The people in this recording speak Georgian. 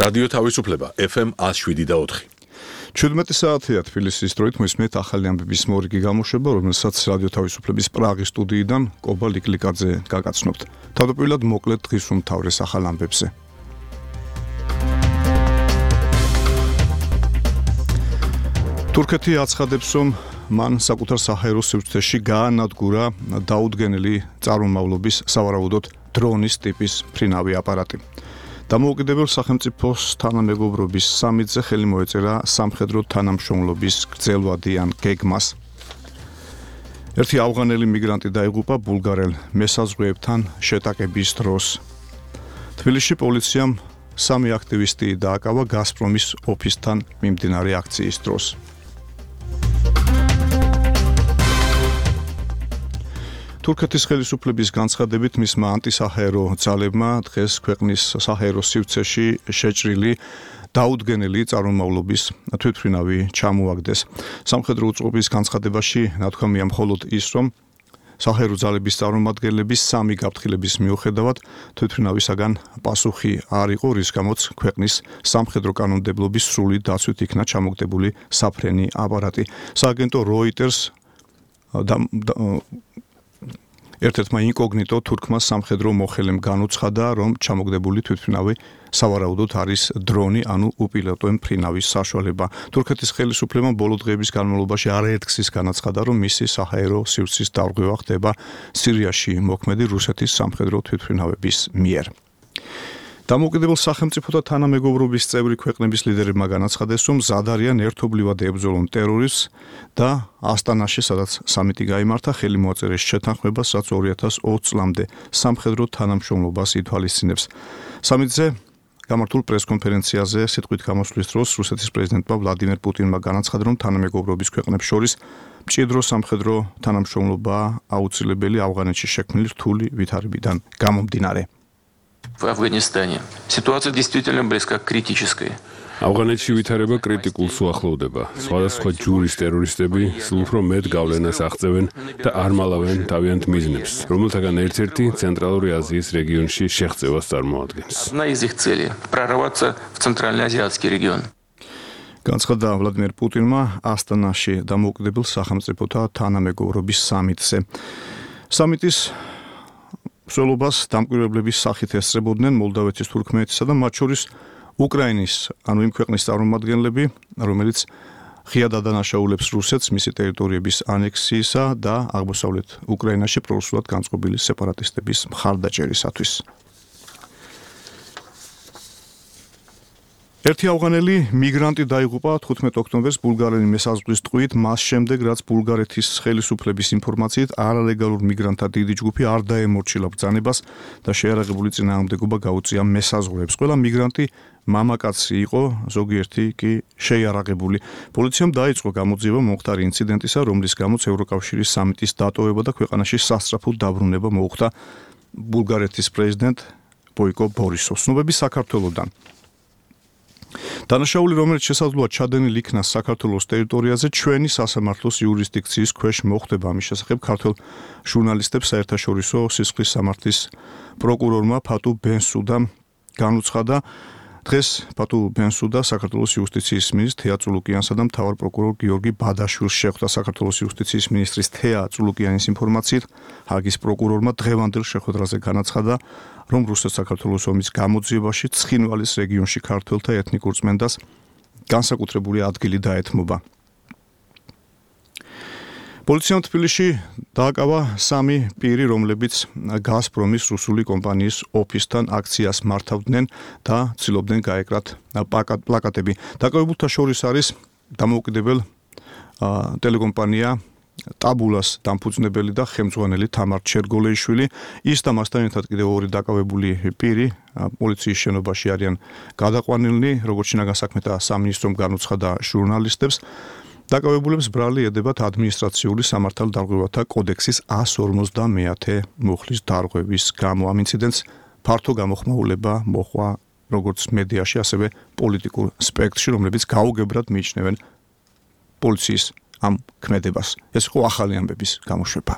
რადიო თავისუფლება FM 107.4. 17 საათია თბილისის დროით მოისმენთ ახალი ამბების მორიგი გამოშვება, რომელსაც რადიო თავისუფლების პრაღის სტუდიიდან კობა ლიკლიკაძე გაგაცნობთ. თავდაპირველად მოკლედ დღის უმთავრეს ახალ ამბებზე. თურქეთი აცხადებს, რომ მან საკუთარ საჰაერო სივრცეში გაანადგურა დაუდგენელი წარმომავლობის სავარაუდოდ დრონის ტიპის ფრინავი აპარატი. დამოუკიდებელ სახელმწიფოს თანამეგობრობის სამიტზე ხელი მოეწერა სამხედრო თანამშრომლობის გრძელვადიან გეგმას. ერთი ავღანელი მიგრანტი დაიღუპა ბულგარელ მესაზღვრეებთან შეტაკების დროს. თბილისში პოლიციამ 3 აქტივისტი დააკავა გაზპრომის ოფისთან მიმდინარე აქციის დროს. თურქეთის ხელისუფლების განცხადებით მისმა ანტისაჰაერო ძალებმა დღეს ქვეყნის საჰაერო სივრცეში შეჭრილი დაუდგენელი წარმომავლობის თვითმფრინავი ჩამოაგდეს. სამხედრო უწყობის განცხადებაში ნათქვამია მხოლოდ ის, რომ საჰაერო ძალების წარმომადგენლების 3 გაფრთხილების მიუხედავად თვითმფრინავისაგან პასუხი არ იყო, რის გამოც ქვეყნის სამხედრო კანონმდებლობის სრული დაცვით იქნა ჩამოგდებული საფრენი აპარატი. სააგენტო Reuters ერთ-ერთმა ინკოგნიტო თურქმა სამხედრო მოხელემ განუცხადა, რომ ჩამოგდებული თვითმფრინავი სავარაუდოდ არის დრონი, ანუ უპილოტო მფრინავის საშუალება. თურქეთის ხელისუფლებამ ბოლო დღეების განმავლობაში არაერთგზის განაცხადა, რომ მისი საჰაერო სივრცის დარღვევა ხდება სირიაში მოქმედი რუსეთის სამხედრო თვითმფრინავების მიერ. დამოუკიდებელ სახელმწიფოთა თანამეგობრობის წევრი ქვეყნების ლიდერებმა განაცხადეს, რომ მზად არიან ერთობლივად ებრძოლონ ტერორიზმს და ასტანაში, სადაც სამიტი გაიმართა, ხელი მოაწერეს შეთანხმებას, რაც 2020 წლამდე სამხედრო თანამშრომლობას ითვალისწინებს. სამიტზე გამართულ პრესკონფერენციაზე სიტყვით გამოსვლის დროს რუსეთის პრეზიდენტმა ვლადიმერ პუტინმა განაცხადა, რომ თანამეგობრობის ქვეყნებს შორის მჭიდრო სამხედრო თანამშრომლობა აუცილებელი ავღანეთში შექმნილი რთული ვითარებიდან გამომდინარე. В Афганистане ситуация действительно близка к критической. ავღანეთში ვითარება კრიტიკულს უახლოვდება. სხვადასხვა ჯურის ტერორისტები სულ უფრო მეტ გავლენას აღწევენ და არ მალავენ თავიანთ მიზნებს, რომელთაგან ერთ-ერთი ცენტრალური აზიის რეგიონში შეღწევას წარმოადგენს. Одна из их целей прорваться в центральноазиатский регион. განცხადა ვლადიმერ პუტინმა ასტანაში დამოუკიდებელ სახელმწიფოთა თანამეგობრობის სამიტზე. სამიტის მსვლელობას დამკვირვებლების სახით ესწრებოდნენ მოლდავეთის, თურქმენეთისა და მათ შორის უკრაინის, ანუ იმ ქვეყნის წარმომადგენლები, რომელიც ღიად ადანაშაულებს რუსეთს მისი ტერიტორიების ანექსიისა და აღმოსავლეთ უკრაინაში პრორუსულად განწყობილი სეპარატისტების მხარდაჭერისათვის. ერთი ავღანელი მიგრანტი დაიღუპა 15 ოქტომბერს ბულგარელი მესაზღვრის ტყვით, მას შემდეგ, რაც ბულგარეთის ხელისუფლების ინფორმაციით არალეგალურ მიგრანტთა დიდი ჯგუფი არ დაემორჩილა ბრძანებას და შეარაღებული წინააღმდეგობა გაუწია მესაზღვრეებს. ყველა მიგრანტი მამაკაცი იყო, ზოგიერთი კი შეიარაღებული. პოლიციამ დაიწყო გამოძიება მომხდარი ინციდენტისა, რომლის გამოც ევროკავშირის სამიტის დატოვება და ქვეყანაში სასწრაფო დაბრუნება მოუხდა ბულგარეთის პრეზიდენტ ბოიკო ბორისოვს. ცნობები საქართველოდან. დანაშაული, რომელიც შესაძლოა ჩადენილ იქნა საქართველოს ტერიტორიაზე, ჩვენი სასამართლოს იურისდიქციის ქვეშ მოხვდება. ამის შესახებ ქართველ ჟურნალისტებს საერთაშორისო სისხლის სამართლის პროკურორმა ფატუ ბენსუდამ განუცხადა. დღეს ფატუ ბენსუდა საქართველოს იუსტიციის მინისტრ თეა წულუკიანსა და მთავარ პროკურორ გიორგი ბადაშვილს შეხვდა. საქართველოს იუსტიციის მინისტრის თეა წულუკიანის ინფორმაციით, ჰაგის პროკურორმა დღევანდელ შეხვედრაზე განაცხადა, რომ რუსეთ-საქართველოს ომის გამოძიებაში ცხინვალის რეგიონში ქართველთა ეთნიკურ წმენდას განსაკუთრებული ადგილი დაეთმობა. პოლიციამ თბილისში დააკავა 3 პირი, რომლებიც გაზპრომის რუსული კომპანიის ოფისთან აქციას მართავდნენ და ცდილობდნენ გაეკრათ პლაკატები. დაკავებულთა შორის არის დამოუკიდებელ ტელეკომპანია ტაბულას დამფუძნებელი და ხელმძღვანელი თამარ ჩერგოლეიშვილი. ის და მასთან ერთად კიდევ 2 დაკავებული პირი პოლიციის შენობაში არიან გადაყვანილნი, როგორც შინაგან საქმეთა სამინისტრომ განუცხადა ჟურნალისტებს. დაკავებულებს ბრალი ედებათ ადმინისტრაციული სამართალდარღვევათა კოდექსის 150 მუხლის დარღვევის გამო. ამ ინციდენტს ფართო გამოხმაურება მოჰყვა როგორც მედიაში, ასევე პოლიტიკურ სპექტრში, რომლებიც გაუგებრად მიიჩნევენ პოლიციის ამ ქმედებას. ეს იყო ახალი ამბების გამოშვება.